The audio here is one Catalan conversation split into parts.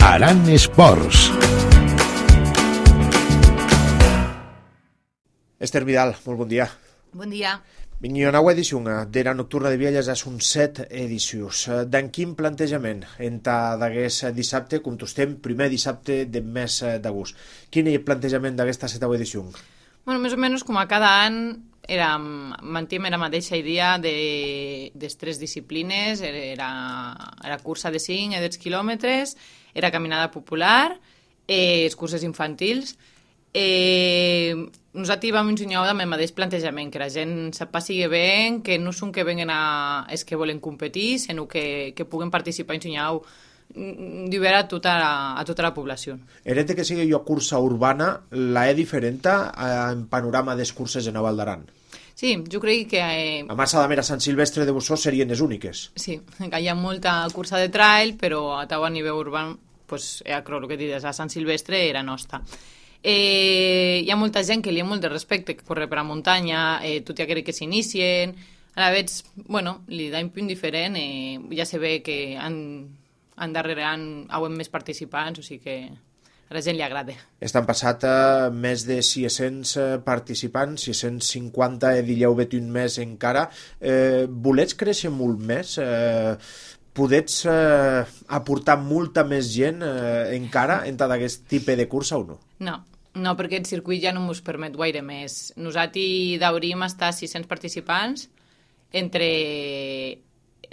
Aran Esports. Esther Vidal, molt bon dia. Bon dia. Vinc una nova edició d'Era Nocturna de Vielles, són 7 edicions. D'en quin plantejament enta d'aguest dissabte, com estem, primer dissabte del mes d'agost. Quin és el plantejament d'aquesta 7a edició? Bueno, més o menys com a cada any mantim la mateixa idea de tres disciplines, era cursa de 5 i 10 quilòmetres, era caminada popular, els curses infantils. Nosaltres vam ensenyar amb el mateix plantejament, que la gent passi bé, que no són que venguen els que volen competir, sinó que puguen participar i ensenyar d'obert a tota la població. Herente que sigui jo cursa urbana, la diferent en panorama dels curses en Val d'Aran? Sí, jo crec que... A Massa d'Amer, a Sant Silvestre de Bossó serien les úniques. Sí, que hi ha molta cursa de trail, però a nivell urbà, pues, el que dius, a Sant Silvestre era nostra. Hi ha molta gent que li ha molt de respecte, que corre per a muntanya, tot i aquells que s'inicien, a la vegada, bueno, li da un punt diferent, ja se ve que darrere hauen més participants, o sigui que a la gent li agrada. Estan passat més de 600 participants, 650 diríeu un més encara. Volets créixer molt més? Podets aportar molta més gent encara en tot aquest tipus de cursa o no? No, perquè el circuit ja no ens permet gaire més. Nosaltres hauríem estar 600 participants entre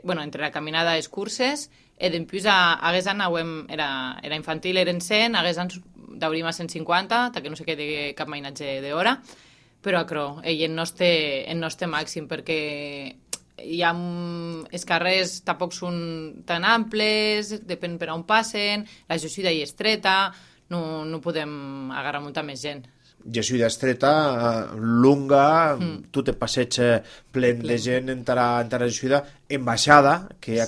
la caminada i les curses, i després hagués any era infantil, eren 100, hagués any hauríem a 150, que no se quedi cap mainatge d'hora, però el nostre màxim, perquè els carrers tampoc són tan amples, depèn per on passen, la Josida hi és estreta, no podem agarrar molta més gent. Josida estreta, lunga, tot el passeig plen de gent entre la Josida, en baixada, que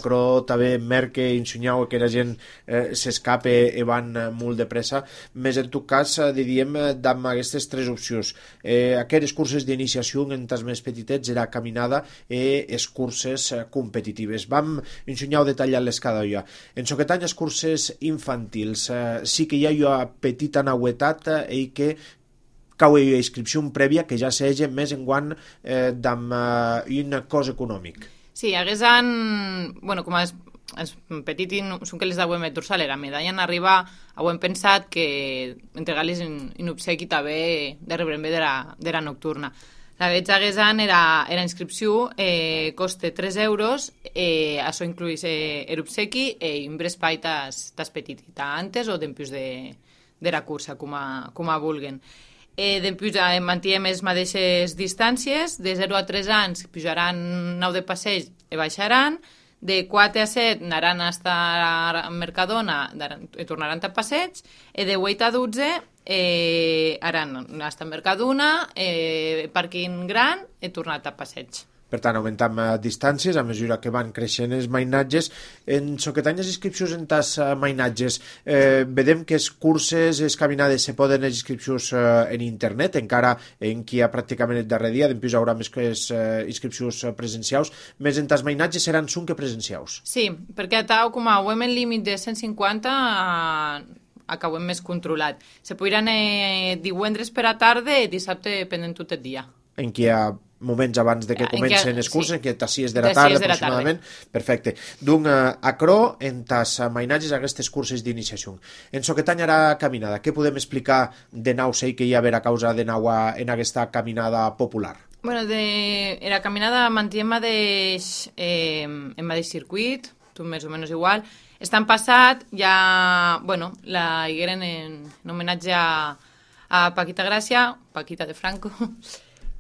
també merque ensenyau que la gent s'escape i van molt de pressa. Més en tot cas, diríem, amb aquestes tres opcions. Aquestes curses d'iniciació en tas més petitets era caminada i les curses competitives. Vam ensenyar detallar-les cada dia. En soquetany, les curses infantils, sí que hi ha jo petita nauetat i que cau a inscripció prèvia que ja s'hagi més enguant d'un cost econòmic. Sí, hagués any, com els petits són que les d'avui met dorsal, la medalla en arribar, hem pensat que entregar-les en obsequi també de rebre bé de la nocturna. La veig hagués any era inscripció, costa 3 euros, això incluís l'obsequi i un espai tas petit, antes o després de la cursa, com a vulguen. Després mantiem les mateixes distàncies, de 0 a 3 anys pujaran 9 de passeig i baixaran, de 4 a 7 anaran a Mercadona i tornaran a passeig, i de 8 a 12 aran a Mercadona, pàrquing gran i tornat a passeig. Per tant, augmentam distàncies a mesura que van creixent els mainatges. En soquetany les inscripcions en tas mainatges, vedem que les curses, les caminades se poden les inscripcions en internet, encara en qui ha pràcticament el darrer dia, després hi haurà més que les inscripcions presencials, més en tas mainatges seran són que presencials. Sí, perquè com a hem el límit de 150 acabem més controlat. Se podran divendres per a tarda i dissabte pendent tot el dia. En qui hi ha moments abans de que comencen els cursos, en què tas 6 de la tarda aproximadament. Perfecte. D'un acrò en tas mainatges aquestes curses d'iniciació. En soquetany ara caminada, què podem explicar de nou sei que hi ha a veure a causa de nou en aquesta caminada popular? La caminada mantiem en mateix circuit, tot més o menys igual. Estan passat, ja, la higueren en homenatge a Paquita Gràcia, Paquita de Franco,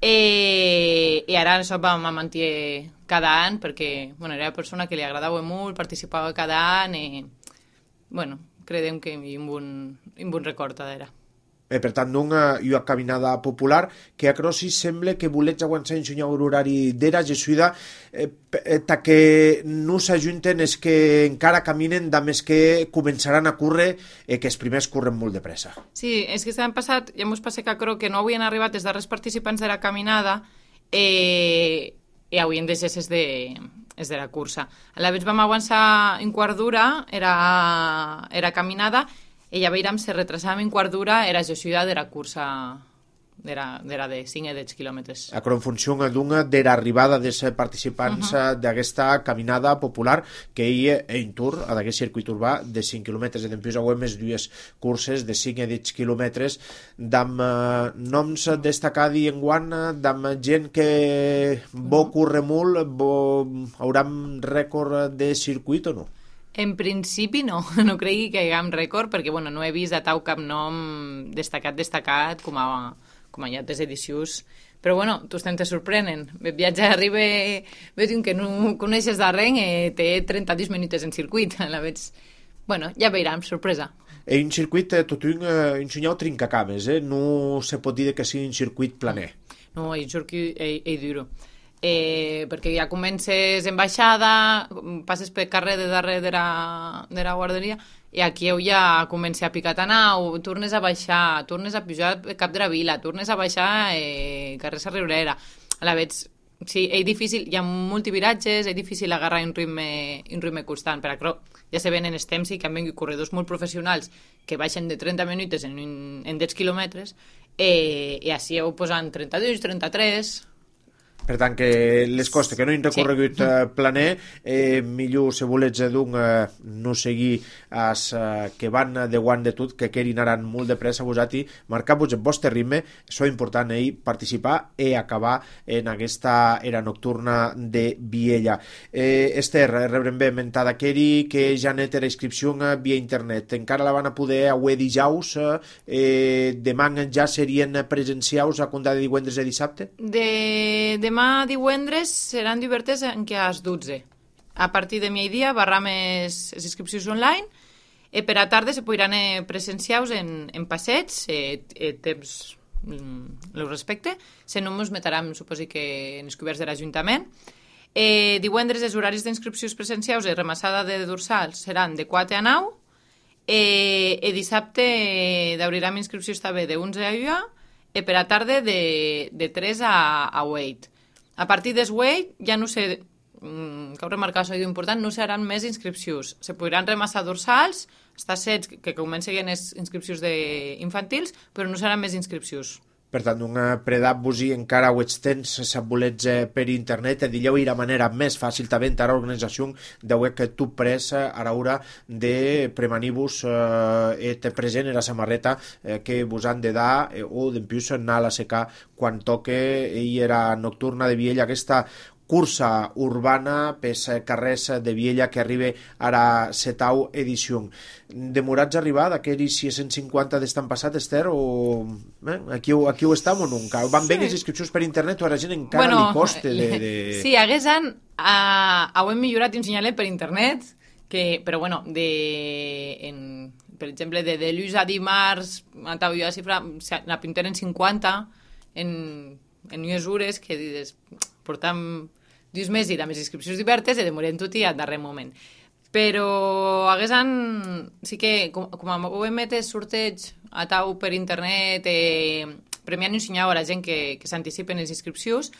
i ara això vam mantenir cada any perquè era una persona que li agradava molt, participava cada any i creiem que hi ha un bon record d'era. Per tant, una caminada popular que a Crossis sembla que volets aguantar ensenyar l'horari d'era Jesuïda que no s'ajunten els que encara caminen amb els que començaran a córrer que els primers corren molt de pressa. Sí, és que l'any passat ja ens passa que no havien arribat els darrers participants de la caminada i havien de ser és de la cursa. A la vez vam avançar en quart d'hora, era caminada, i ja veiem se retrasàvem en quart d'hora, era Josuïda de la cursa de 5 o 10 quilòmetres. Acro en funció de l'arribada dels participants d'aquesta caminada popular que hi ha en tour, a d'aquest circuit urbà de 5 quilòmetres, i després hi ha més dues curses de 5 o 10 quilòmetres d'amb noms destacats enguany, d'amb gent que bo curre molt, hauran rècord de circuit o no? En principi no cregui que hi hagam rècord, perquè no he vist a tau cap nom destacat com a hi ha altres edicions, però tots te sorprenen. El viatge arriba, veig que no coneixes de res, té 32 minuts en circuit, a la veig, ja veurem, sorpresa. En circuit tot un ensenyau trincacames, no se pot dir que sigui un circuit planer. No, és circuit duro. Perquè ja comences en baixada, passes per carrer de darrere de la guarderia, i aquí ja comença a picar tan au, tornes a baixar, tornes a pujar cap de la vila, tornes a baixar carrer Sa Riurera. A la veig, sí, és difícil, hi ha molts viratges, és difícil agarrar un ritme constant, però ja se ven en els temps i que han vingut corredors molt professionals que baixen de 30 minuts en 10 quilòmetres, i així ho posen 32, 33... Per tant, que les costes que no han recorregut planer, millor se volets no seguir que van de guant de tot, que querin anar molt de pressa vosati, marcar-vos el vostre ritme, això és important, participar i acabar en aquesta era nocturna de Viella. Esther, rebrem bé mentada Keri, que ja n'he la inscripció via internet. Encara la van a poder avui dijous, demà ja serien presencials a comptar de divendres i dissabte? Demà divendres seran divertes en què a les 12. A partir de migdia barra més les inscripcions online, per a tarda se podran presencials en passeig, temps el respecte, se no ens metrem, suposi que en els coberts de l'Ajuntament. Divendres els horaris d'inscripcions presencials i remassada de dorsals seran de 4 a 9, i dissabte d'obrirem inscripcions també de 11 a 1, i per a tarda de 3 a 8. A partir del 8, ja no sé, cal remarcar això important, no seran més inscripcions. Se podran remassar dorsals, està set que comencen les inscripcions infantils, però no seran més inscripcions. Per tant, predar-vos encara ho temps si volets per internet, dilleu la manera més fàcil també entrar a l'organització de que tu pres a l'hora de premanir-vos et present en la samarreta que vos han de dar o d'empius anar a la secar quan toque i era nocturna de Viella, aquesta cursa urbana pels carrers de Viella que arriba a la 7ª edició. Demorats a arribar d'aquells 650 d'estan passat, Esther, o aquí ho estem o nunca? Van bé les inscripcions per internet o a la gent encara li costa de... Sí, haguessin ho hem millorat ensenyant per internet, però per exemple, de dilluns a dimarts, a la xifra, la pintura en 50, en unes hores que dius, portam 2 mesos i amb les inscripcions diverses i demorem tot i al darrer moment. Però sí que, com ho hem fet sorteig a tau per internet, premiant i ensenyant a la gent que s'anticipen les inscripcions,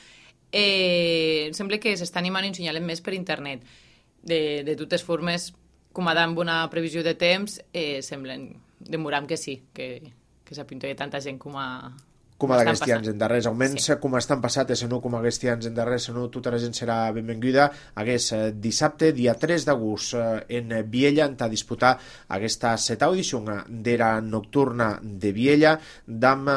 sembla que s'està animant a ensenyar més per internet. De totes formes, com amb una previsió de temps, semblen demoram que sí, que s'apinta tanta gent com d'aquests anys en darrers, almenys com estan passat, no com aquests anys en darrers, no tota la gent serà benvinguda. Dissabte, dia 3 d'agost, en Viella, a disputar aquesta 7ª edició d'era nocturna de Viella, amb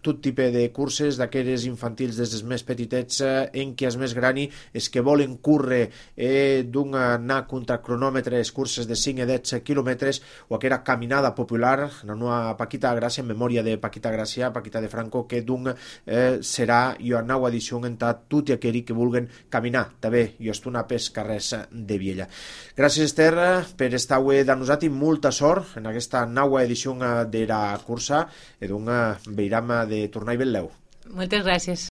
tot tipus de curses, d'aquelles infantils des dels més petitets, en què els més grani, els que volen córrer anar contra cronòmetre, les curses de 5 a 10 quilòmetres, o aquella caminada popular, la nova Paquita Gràcia, en memòria de Paquita Gràcia, Paquita de Franco, que serà una nova edició en tot i aquells que vulguen caminar també i estonar pels carrers de Viella. Gràcies, Esther, per estar avui de nosaltres i molta sort en aquesta nova edició de la cursa i veurem de tornar i ben-leu. Moltes gràcies.